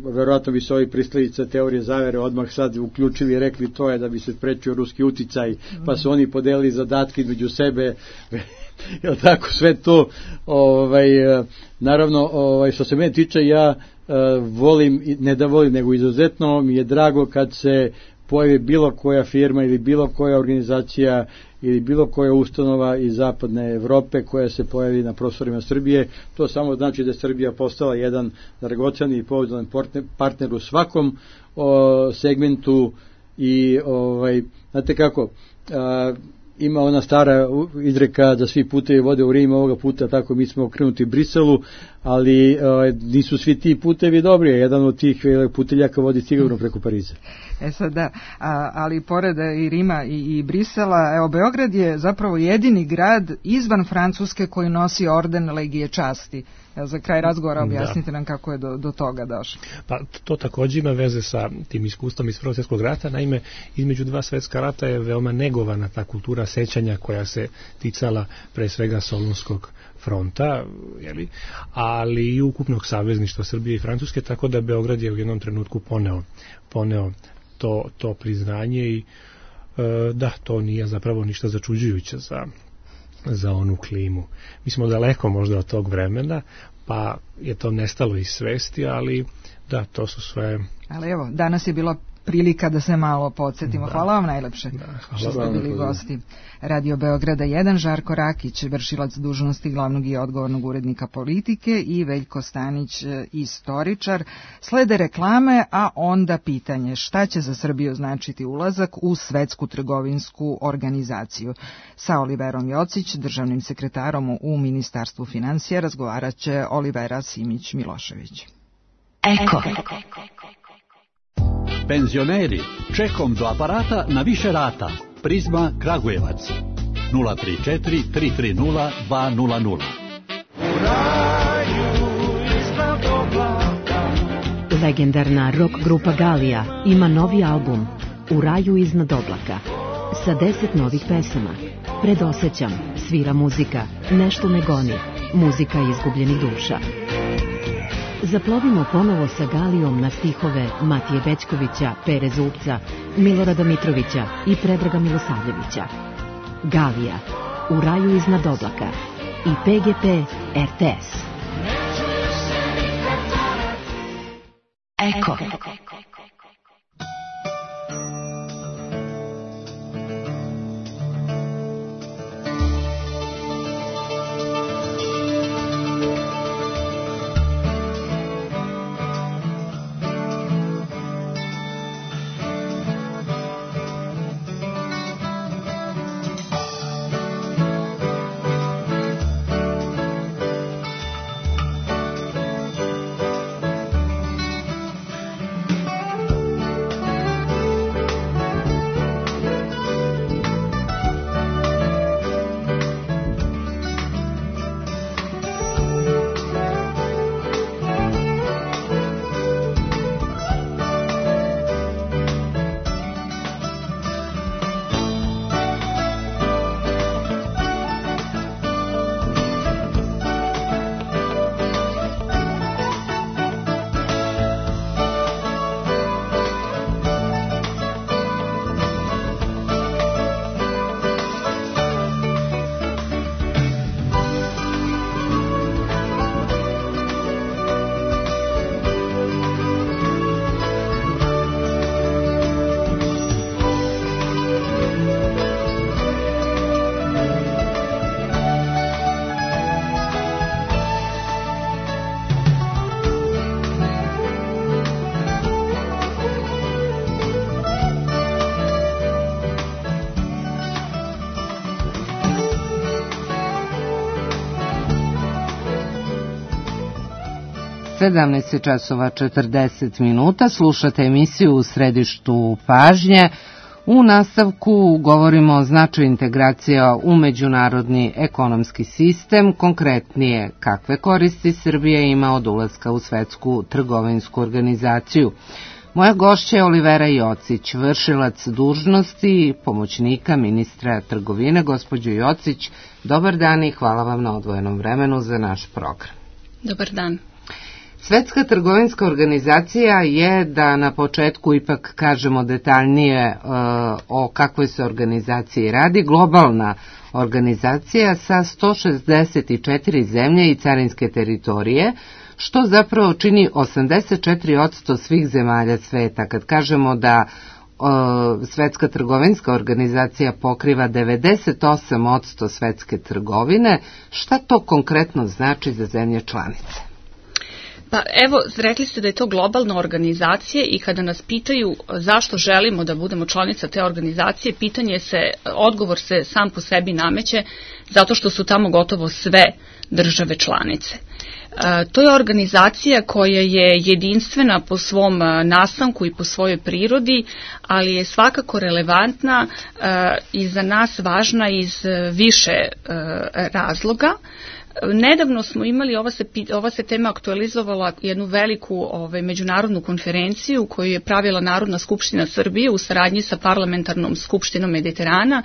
verovatno bi se ovi pristalice teorije zavere odmah sad uključili i rekli to je da bi se sprečio ruski uticaj, pa su oni podelili zadatke između sebe. Jel tako, sve to, ovaj, naravno, ovaj, što se mene tiče, ja volim, ne da volim, nego izuzetno mi je drago kad se pojavi bilo koja firma ili bilo koja organizacija ili bilo koja ustanova iz zapadne Evrope koja se pojavi na prostorima Srbije. To samo znači da je Srbija postala jedan dragoceni i pouzdan partner u svakom o, segmentu i ovaj, znate kako, a, ima ona stara izreka da svi putevi vode u Rim, ovoga puta tako mi smo okrenuti Briselu, ali a, nisu svi ti putevi dobri, jedan od tih puteljaka vodi sigurno preko Pariza. E sad da, a, ali pored i Rima i, i Brisela, evo, Beograd je zapravo jedini grad izvan Francuske koji nosi orden Legije časti. Evo, za kraj razgovora objasnite da. nam kako je do, do toga došlo. Pa to također ima veze sa tim iskustvom iz Prvog svjetskog rata. Naime, između dva svjetska rata je veoma negovana ta kultura sećanja koja se ticala pre svega Solunskog fronta, jeli, ali i ukupnog savezništva Srbije i Francuske, tako da Beograd je u jednom trenutku poneo, poneo to, to priznanje i e, da, to nije zapravo ništa začuđujuće za, za onu klimu. Mi smo daleko možda od tog vremena, pa je to nestalo iz svesti, ali da, to su sve... Ali evo, danas je bila prilika da se malo podsjetimo. Da. Hvala vam najlepše da, što ste bili gosti Radio Beograda jedan, Žarko Rakić, vršilac dužnosti glavnog i odgovornog urednika politike, i Veljko Stanić, istoričar. Slede reklame, a onda pitanje šta će za Srbiju značiti ulazak u Svetsku trgovinsku organizaciju. Sa Oliverom Jocić, državnim sekretarom u Ministarstvu finansija, razgovarat će Olivera Simić-Milošević. Eko. Penzioneri, čekom do aparata na više rata. Prizma Kragujevac. nula tri četiri tri tri nula dva nula nula. Legendarna rock grupa Galija ima novi album U raju iznad oblaka sa deset novih pesama. Predosećam, svira muzika, nešto me goni, muzika izgubljenih duša. Zaplovimo ponovo sa Galijom na stihove Matije Bećkovića, Pere Zupca, Milorada Mitrovića i Predraga Milosavljevića. Galija, U raju iznad oblaka i P G P R T S. Eko. sedamnaest časova četrdeset minuta, slušate emisiju U središtu pažnje. U nastavku govorimo o značaju integracija u međunarodni ekonomski sistem, konkretnije kakve koristi Srbija ima od ulaska u Svetsku trgovinsku organizaciju. Moja gošća je Olivera Jocić, vršilac dužnosti pomoćnika ministra trgovine. Gospođo Jocić, dobar dan i hvala vam na odvojenom vremenu za naš program. Dobar dan. Svetska trgovinska organizacija je, da na početku ipak kažemo detaljnije e, o kakvoj se organizaciji radi, globalna organizacija sa sto šezdeset četiri zemlje i carinske teritorije, što zapravo čini osamdeset četiri posto svih zemalja sveta. Kad kažemo da e, Svetska trgovinska organizacija pokriva devedeset osam posto svetske trgovine, šta to konkretno znači za zemlje članice? Pa evo, rekli ste da je to globalna organizacija i kada nas pitaju zašto želimo da budemo članica te organizacije, pitanje se, odgovor se sam po sebi nameće zato što su tamo gotovo sve države članice. E, to je organizacija koja je jedinstvena po svom nastanku i po svojoj prirodi, ali je svakako relevantna e, i za nas važna iz više e, razloga. Nedavno smo imali, ova se, ova se tema aktualizovala jednu veliku ovaj, međunarodnu konferenciju koju je pravila Narodna skupština Srbije u saradnji sa Parlamentarnom skupštinom Mediterana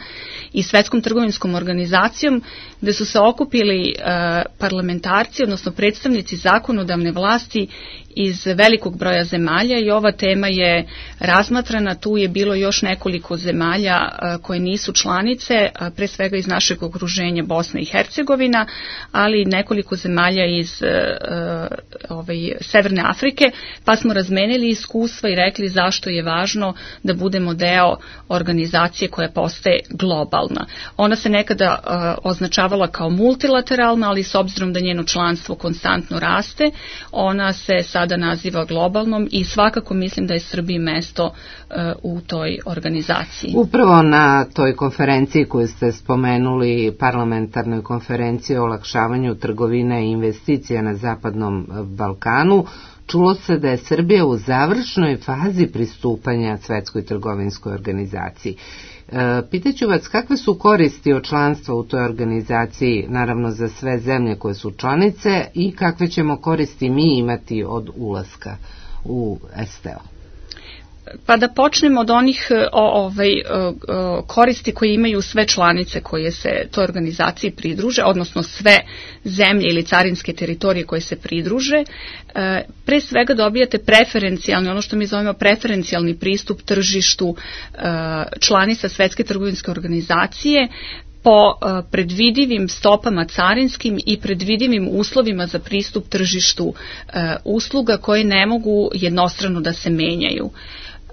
i Svetskom trgovinskom organizacijom, gde su se okupili e, parlamentarci, odnosno predstavnici zakonodavne vlasti iz velikog broja zemalja i ova tema je razmatrana. Tu je bilo još nekoliko zemalja a, koje nisu članice, a, pre svega iz našeg okruženja Bosna i Hercegovina, ali i nekoliko zemalja iz a, ovaj, Severne Afrike, pa smo razmenili iskustva i rekli zašto je važno da budemo deo organizacije koja postaje globalna. Ona se nekada a, označavala kao multilateralna, ali s obzirom da njeno članstvo konstantno raste, ona se sad da naziva globalnom i svakako mislim da je Srbiji mesto uh, u toj organizaciji. Upravo na toj konferenciji koju ste spomenuli, parlamentarnoj konferenciji o olakšavanju trgovine i investicija na Zapadnom Balkanu, čulo se da je Srbija u završnoj fazi pristupanja Svetskoj trgovinskoj organizaciji. E, pitaću vas kakve su koristi od članstva u toj organizaciji, naravno za sve zemlje koje su članice, i kakve ćemo koristi mi imati od ulaska u S T O? Pa da počnemo od onih o, ovaj, o, koristi koje imaju sve članice koje se toj organizaciji pridruže, odnosno sve zemlje ili carinske teritorije koje se pridruže. E, pre svega dobijate preferencijalni, ono što mi zovemo preferencijalni pristup tržištu e, članica Svetske trgovinske organizacije po e, predvidivim stopama carinskim i predvidivim uslovima za pristup tržištu e, usluga koje ne mogu jednostrano da se menjaju.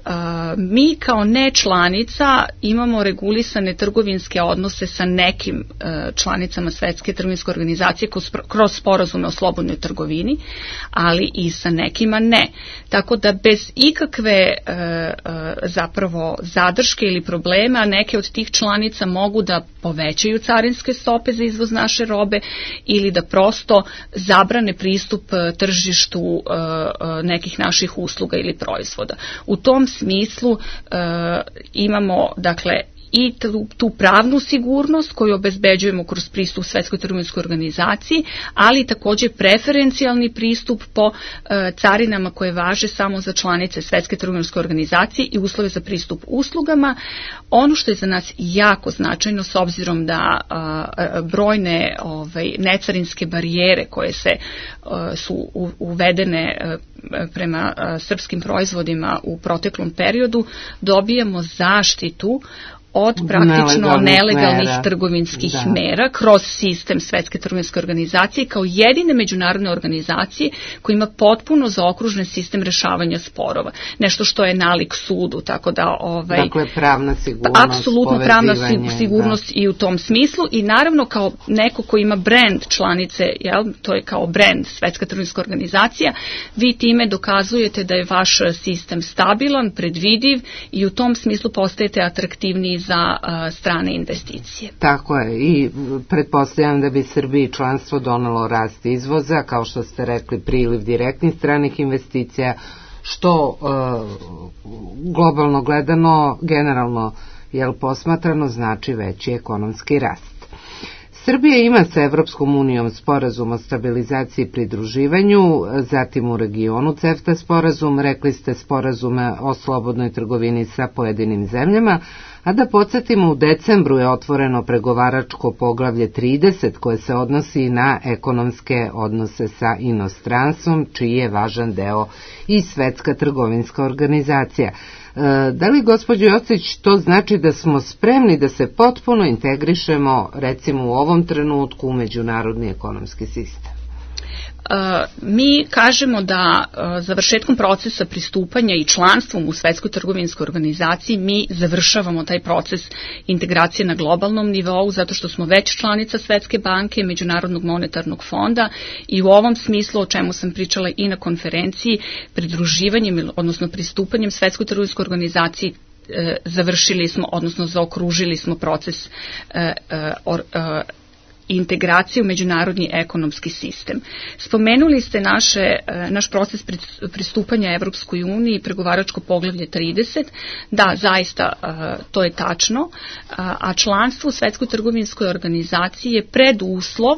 Uh, mi kao ne članica imamo regulisane trgovinske odnose sa nekim uh, članicama Svetske trgovinske organizacije kroz, kroz sporazume o slobodnoj trgovini, ali i sa nekima ne. Tako da bez ikakve uh, uh, zapravo zadrške ili problema neke od tih članica mogu da povećaju carinske stope za izvoz naše robe ili da prosto zabrane pristup uh, tržištu uh, uh, nekih naših usluga ili proizvoda. U tom smislu e, imamo dakle i tu, tu pravnu sigurnost koju obezbeđujemo kroz pristup Svetskoj trgovinskoj organizaciji, ali također preferencijalni pristup po e, carinama koje važe samo za članice Svetske trgovinske organizacije i uslove za pristup uslugama. Ono što je za nas jako značajno s obzirom da a, a, brojne ovaj, necarinske barijere koje se a, su u, uvedene a, prema a, srpskim proizvodima u proteklom periodu, dobijamo zaštitu od praktično nelegalnih, nelegalnih mera. trgovinskih da. mera kroz sistem Svetske trgovinske organizacije kao jedine međunarodne organizacije koja ima potpuno zaokružen sistem rešavanja sporova. Nešto što je nalik sudu, tako da ovaj dakle pravna sigurnost, apsolutno pravna sigurnost da. i u tom smislu i naravno kao neko ko ima brand članice, jel, to je kao brand Svetska trgovinska organizacija, vi time dokazujete da je vaš sistem stabilan, predvidiv i u tom smislu postajete atraktivniji za uh, strane investicije. Tako je, i pretpostavljam da bi Srbiji članstvo donelo rast izvoza, kao što ste rekli, priliv direktnih stranih investicija, što uh, globalno gledano, generalno jel posmatrano, znači veći ekonomski rast. Srbija ima sa Evropskom unijom sporazum o stabilizaciji i pridruživanju, zatim u regionu CEFTA sporazum, rekli ste sporazume o slobodnoj trgovini sa pojedinim zemljama, a da podsjetimo, u decembru je otvoreno pregovaračko poglavlje trideset koje se odnosi na ekonomske odnose sa inostranstvom, čiji je važan deo i Svetska trgovinska organizacija. Da li, gospođo Jocić, to znači da smo spremni da se potpuno integrišemo, recimo u ovom trenutku, u međunarodni ekonomski sistem? Mi kažemo da završetkom procesa pristupanja i članstvom u Svetskoj trgovinskoj organizaciji mi završavamo taj proces integracije na globalnom nivou, zato što smo već članica Svetske banke, Međunarodnog monetarnog fonda, i u ovom smislu, o čemu sam pričala i na konferenciji, pridruživanjem, odnosno pristupanjem Svetskoj trgovinskoj organizaciji završili smo, odnosno zaokružili smo proces integracije u međunarodni ekonomski sistem. Spomenuli ste naše, naš proces pristupanja Evropskoj uniji i pregovaračko poglavlje trideset. Da, zaista to je tačno, a članstvo u Svetskoj trgovinskoj organizaciji je preduslov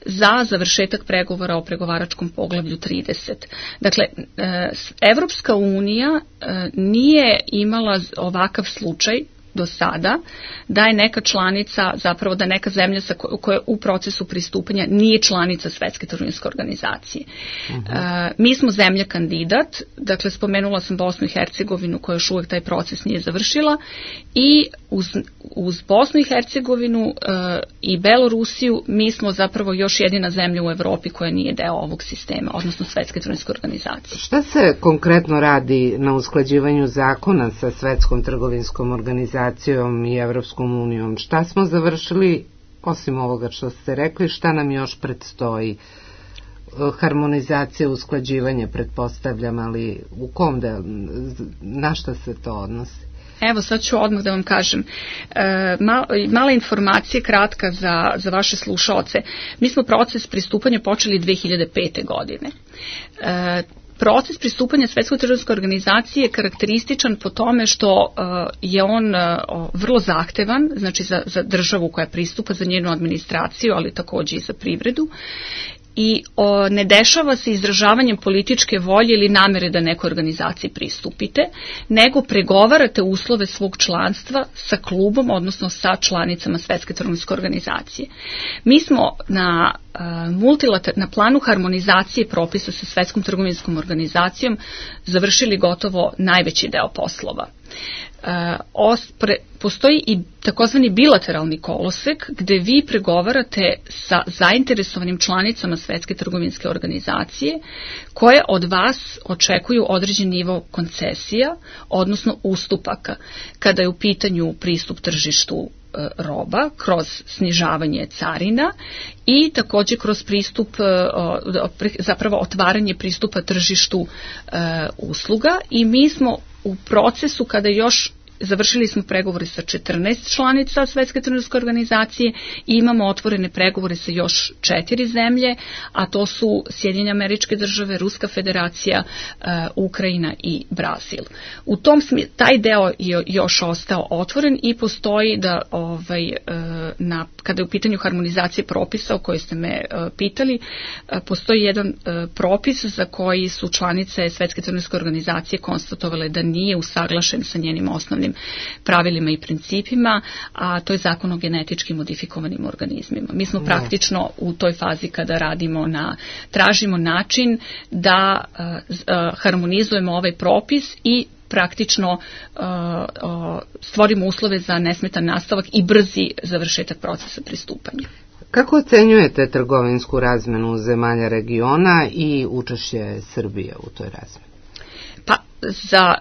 za završetak pregovora o pregovaračkom poglavlju trideset. Dakle, Evropska unija nije imala ovakav slučaj do sada, da je neka članica, zapravo da neka zemlja sa ko, koja u procesu pristupanja nije članica Svetske trgovinske organizacije. Uh-huh. E, mi smo zemlja kandidat, dakle spomenula sam Bosnu i Hercegovinu koja još uvek taj proces nije završila, i uz, uz Bosnu i Hercegovinu e, i Belorusiju mi smo zapravo još jedina zemlja u Evropi koja nije deo ovog sistema, odnosno Svetske trgovinske organizacije. Šta se konkretno radi na usklađivanju zakona sa Svetskom trgovinskom organizacijom i Evropskom unijom? Šta smo završili, osim ovoga što ste rekli, šta nam još predstoji? Harmonizacija, usklađivanje, pretpostavljam, ali u kom da, na šta se to odnosi? Evo, sad ću odmah da vam kažem. E, mal, mala informacija kratka za, za vaše slušaoce. Mi smo proces pristupanja počeli dve hiljade pete. godine. E, Proces pristupanja Svetskoj trgovinskoj organizaciji je karakterističan po tome što uh, je on uh, vrlo zahtevan, znači za, za državu koja pristupa, za njenu administraciju, ali takođe i za privredu. I o, ne dešava se izražavanjem političke volje ili namere da nekoj organizaciji pristupite, nego pregovarate uslove svog članstva sa klubom, odnosno sa članicama Svetske trgovinske organizacije. Mi smo na, multilater, na planu harmonizacije propisa sa Svetskom trgovinskom organizacijom završili gotovo najveći deo poslova. Uh, ospre, postoji i takozvani bilateralni kolosek gde vi pregovarate sa zainteresovanim članicama Svetske trgovinske organizacije koje od vas očekuju određen nivo koncesija, odnosno ustupaka, kada je u pitanju pristup tržištu roba kroz snižavanje carina i takođe kroz pristup, zapravo otvaranje pristupa tržištu usluga, i mi smo u procesu kada još završili smo pregovore sa četrnaest članica Svetske trgovinske organizacije i imamo otvorene pregovore sa još četiri zemlje, a to su Sjedinjene Američke Države, Ruska Federacija, uh, Ukrajina i Brazil. U tom smislu taj deo je još ostao otvoren i postoji da ovaj, uh, na, kada je u pitanju harmonizacije propisa o kojoj ste me uh, pitali, uh, postoji jedan uh, propis za koji su članice Svetske trgovinske organizacije konstatovale da nije usaglašen sa njenim osnovnim pravilima i principima, a to je zakon o genetički modifikovanim organizmima. Mi smo praktično u toj fazi kada radimo na, tražimo način da uh, uh, harmonizujemo ovaj propis i praktično uh, uh, stvorimo uslove za nesmetan nastavak i brzi završetak procesa pristupanja. Kako ocenjujete trgovinsku razmenu zemalja regiona i učešće Srbije u toj razmeni? Pa, za,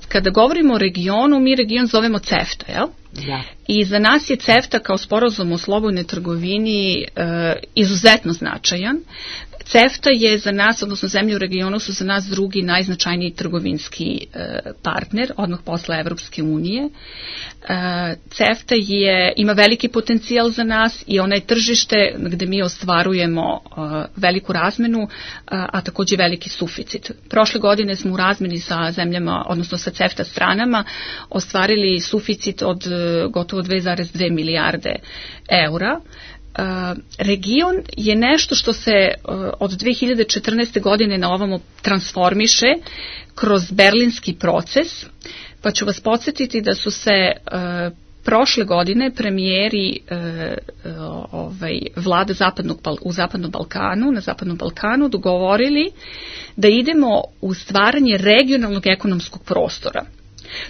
kada govorimo o regionu, mi region zovemo CEFTA, jel? Da. I za nas je CEFTA kao sporazum o slobodnoj trgovini e, izuzetno značajan. CEFTA je za nas, odnosno zemlje u regionu su za nas drugi najznačajniji trgovinski partner, odmah posle Evropske unije. CEFTA je, ima veliki potencijal za nas i ona je tržište gde mi ostvarujemo veliku razmenu, a takođe veliki suficit. Prošle godine smo u razmeni sa zemljama, odnosno sa CEFTA stranama, ostvarili suficit od gotovo dve zarez dve milijarde eura. Uh, region je nešto što se uh, od dve hiljade četrnaeste. godine na ovamo transformiše kroz berlinski proces, pa ću vas podsjetiti da su se uh, prošle godine premijeri uh, uh, ovaj, vlada zapadnog, u Zapadnom Balkanu, na Zapadnom Balkanu dogovorili da idemo u stvaranje regionalnog ekonomskog prostora.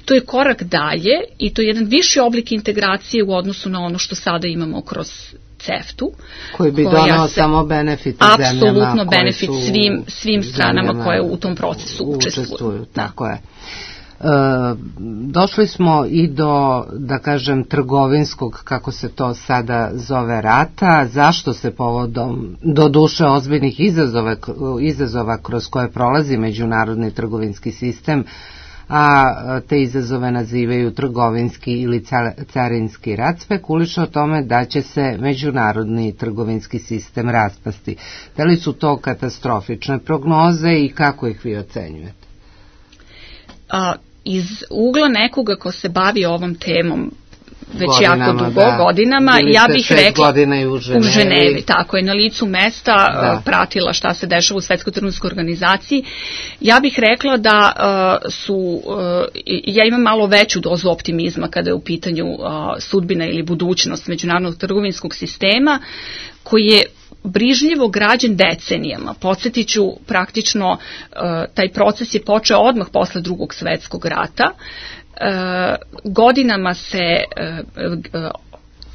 To je korak dalje i to je jedan viši oblik integracije u odnosu na ono što sada imamo kroz CEFTA-u. Koji bi donao samo benefit zemljama. Apsolutno benefit svim, svim stranama koje u tom procesu učestvuju. učestvuju tako je. E, došli smo i do, da kažem, trgovinskog, kako se to sada zove, rata. Zašto se povodom do duše ozbiljnih izazova, izazova kroz koje prolazi međunarodni trgovinski sistem, a te izazove nazivaju trgovinski ili carinski rat, spekuliše o tome da će se međunarodni trgovinski sistem raspasti. Da li su to katastrofične prognoze i kako ih vi ocenjujete? A, iz ugla nekoga ko se bavi ovom temom već godinama, jako dugo, da. godinama, Bili ja bih rekla godina u Ženevi. u Ženevi, tako je, na licu mesta da. pratila šta se dešava u Svetskoj trgovinskoj organizaciji. Ja bih rekla da uh, su, uh, ja imam malo veću dozu optimizma kada je u pitanju uh, sudbina ili budućnost međunarodnog trgovinskog sistema, koji je brižljivo građen decenijama. Podsjetit ću, praktično uh, taj proces je počeo odmah posle Drugog svetskog rata. Uh, godinama se uh, uh,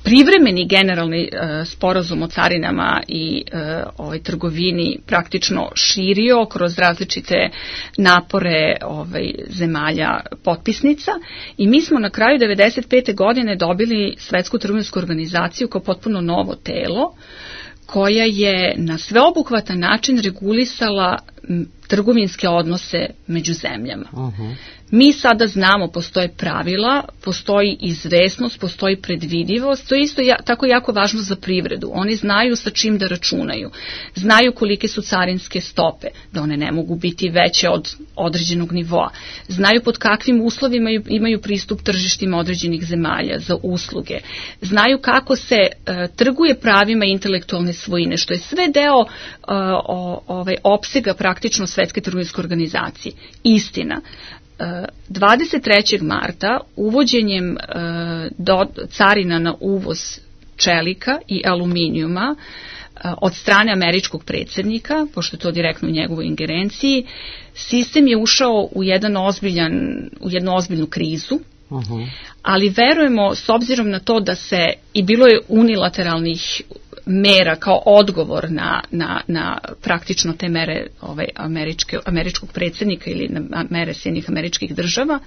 privremeni generalni uh, sporazum o carinama i uh, ovaj, trgovini praktično širio kroz različite napore ovaj, zemalja potpisnica i mi smo na kraju devedeset pete. godine dobili Svetsku trgovinsku organizaciju kao potpuno novo telo koja je na sveobuhvatan način regulisala trgovinske odnose među zemljama. Uh-huh. Mi sada znamo, postoje pravila, postoji izvesnost, postoji predvidivost, to je isto ja, tako jako važno za privredu. Oni znaju sa čim da računaju, znaju kolike su carinske stope, da one ne mogu biti veće od određenog nivoa, znaju pod kakvim uslovima imaju pristup tržištima određenih zemalja za usluge, znaju kako se uh, trguje pravima intelektualne svojine, što je sve deo uh, o, ovaj, opsega praktično Svetske trgovinske organizacije. Istina, dvadeset trećeg marta uvođenjem do, carina na uvoz čelika i aluminijuma od strane američkog predsjednika, pošto je to direktno u njegovoj ingerenciji, sistem je ušao u, jedan ozbiljan, u jednu ozbiljnu krizu, uh-huh. ali verujemo, s obzirom na to da se, i bilo je unilateralnih mera kao odgovor na, na, na praktično te mere ovaj, američke, američkog predsjednika ili na mere Sjedinjenih američkih država,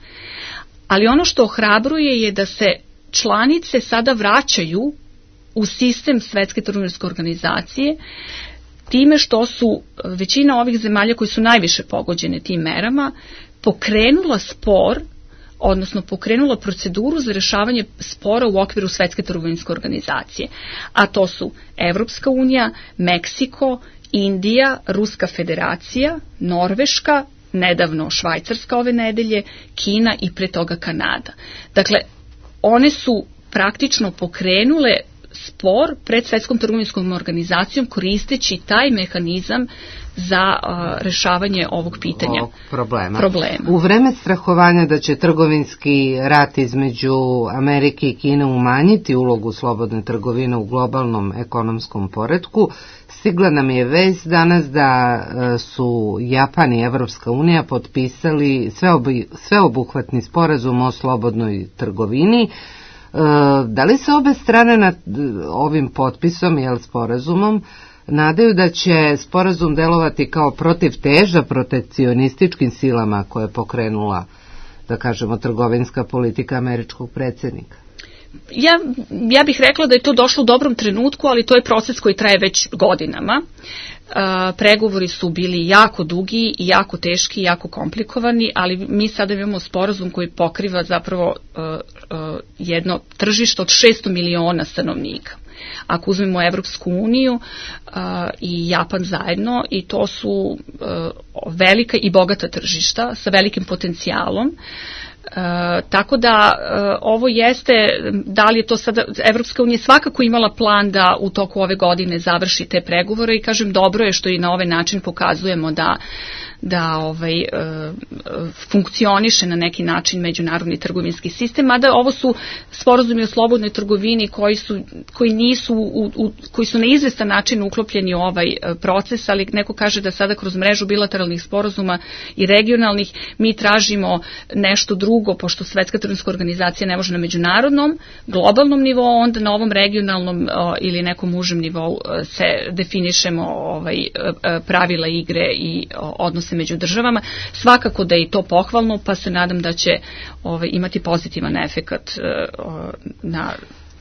ali ono što ohrabruje je da se članice sada vraćaju u sistem Svetske trgovinske organizacije time što su većina ovih zemalja koji su najviše pogođene tim merama pokrenula spor, odnosno pokrenula proceduru za rešavanje spora u okviru Svetske trgovinske organizacije. A to su Evropska unija, Meksiko, Indija, Ruska federacija, Norveška, nedavno Švajcarska ove nedelje, Kina i pre toga Kanada. Dakle, one su praktično pokrenule spor pred Svetskom trgovinskom organizacijom koristeći taj mehanizam za uh, rešavanje ovog pitanja. Ovog problema. problema. U vreme strahovanja da će trgovinski rat između Amerike i Kine umanjiti ulogu slobodne trgovine u globalnom ekonomskom poretku, stigla nam je vest danas da uh, su Japan i Evropska unija potpisali sveobi, sveobuhvatni sporazum o slobodnoj trgovini. Uh, da li se obe strane nad ovim potpisom, jel, sporazumom, nadaju da će sporazum delovati kao protivteža protekcionističkim silama koje je pokrenula, da kažemo, trgovinska politika američkog predsjednika? Ja, ja bih rekla da je to došlo u dobrom trenutku, ali to je proces koji traje već godinama. Uh, pregovori su bili jako dugi i jako teški i jako komplikovani, ali mi sada imamo sporazum koji pokriva zapravo uh, uh, jedno tržište od šesto miliona stanovnika. Ako uzmemo Evropsku uniju uh, i Japan zajedno, i to su uh, velika i bogata tržišta sa velikim potencijalom. Uh, tako da uh, ovo jeste, da li je to sada, Evropska unija svakako imala plan da u toku ove godine završi te pregovore, i kažem, dobro je što i na ovaj način pokazujemo da da ovaj, e, funkcioniše na neki način međunarodni trgovinski sistem, mada ovo su sporazumi o slobodnoj trgovini koji su, koji nisu u, u, koji su na izvestan način uklopljeni u ovaj proces, ali neko kaže da sada kroz mrežu bilateralnih sporazuma i regionalnih mi tražimo nešto drugo, pošto Svetska trgovinska organizacija ne može na međunarodnom, globalnom nivou, onda na ovom regionalnom o, ili nekom užem nivou se definišemo ovaj, pravila igre i o, odnose među državama. Svakako da je i to pohvalno, pa se nadam da će ovaj, imati pozitivan efekat uh, na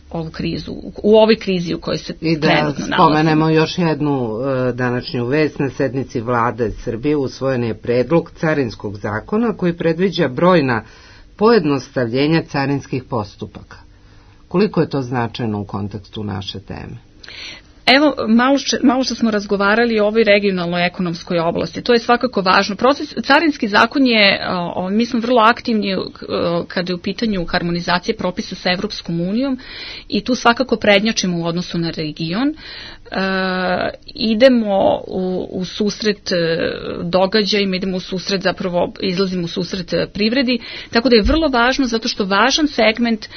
ovu krizu, u ovoj krizi u kojoj se trenutno nalazimo. I da spomenemo još jednu uh, današnju vest. Na sednici Vlade Srbije usvojen je predlog carinskog zakona koji predviđa brojna pojednostavljenja carinskih postupaka. Koliko je to značajno u kontekstu naše teme? Evo, malo, če, malo što smo razgovarali o ovoj regionalnoj ekonomskoj oblasti, to je svakako važno. Proces, carinski zakon je, o, mi smo vrlo aktivni o, kada je u pitanju harmonizacije propisa sa Evropskom unijom, i tu svakako prednjačimo u odnosu na region. E, idemo u, u susret događajima, idemo u susret, zapravo izlazimo u susret privredi, tako da je vrlo važno, zato što važan segment e,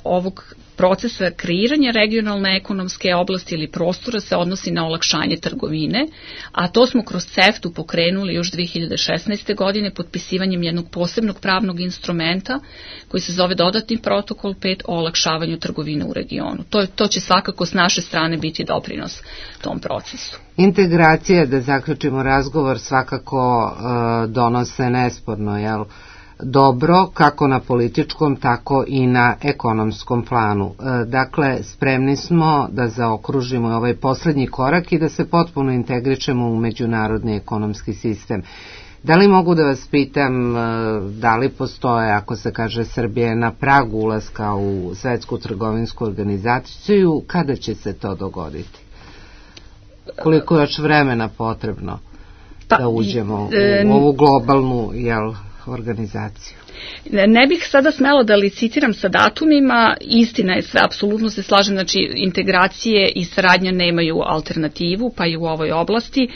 ovog procesa kreiranja regionalne ekonomske oblasti ili prostora se odnosi na olakšanje trgovine, a to smo kroz CEFTA pokrenuli još dve hiljade šesnaeste. godine potpisivanjem jednog posebnog pravnog instrumenta koji se zove dodatni protokol pet o olakšavanju trgovine u regionu. To, to će svakako s naše strane biti doprinos tom procesu. Integracije, da zaključimo razgovor, svakako uh, donose nesporno, jel? Dobro, kako na političkom, tako i na ekonomskom planu. Dakle, spremni smo da zaokružimo ovaj poslednji korak i da se potpuno integrišemo u međunarodni ekonomski sistem. Da li mogu da vas pitam, da li postoje, ako se kaže Srbija je na pragu ulaska u Svetsku trgovinsku organizaciju, kada će se to dogoditi? Koliko je još vremena potrebno da uđemo u ovu globalnu, jel, organizaciju? Ne bih sada smela da licitiram sa datumima, istina je sve, apsolutno se slažem, znači integracije i saradnja nemaju alternativu, pa i u ovoj oblasti. E,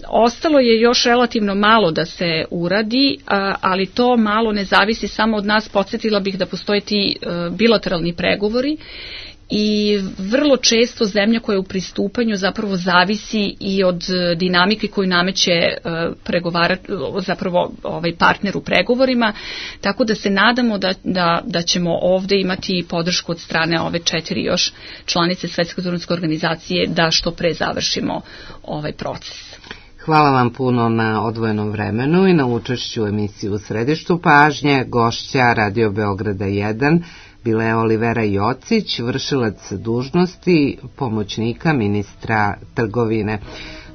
ostalo je još relativno malo da se uradi, ali to malo ne zavisi samo od nas. Podsjetila bih da postoje ti bilateralni pregovori, i vrlo često zemlja koja je u pristupanju zapravo zavisi i od dinamike koju nameće pregovarač, zapravo ovaj partner u pregovorima, tako da se nadamo da, da, da ćemo ovde imati podršku od strane ove četiri još članice Svetske trgovinske organizacije da što pre završimo ovaj proces. Hvala vam puno na odvojenom vremenu i na učešću u emisiji U središtu pažnje. Gošća Radio Beograda jedan bila je Olivera Jocić, vršilac dužnosti pomoćnika ministra trgovine.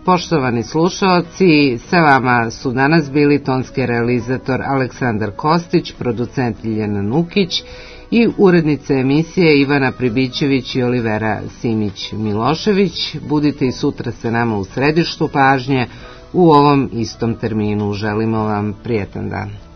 Poštovani slušaoci, sa vama su danas bili tonski realizator Aleksandar Kostić, producent Ljiljana Nukić i urednice emisije Ivana Pribićević i Olivera Simić-Milošević. Budite i sutra sa nama u središtu pažnje u ovom istom terminu. Želimo vam prijetan dan.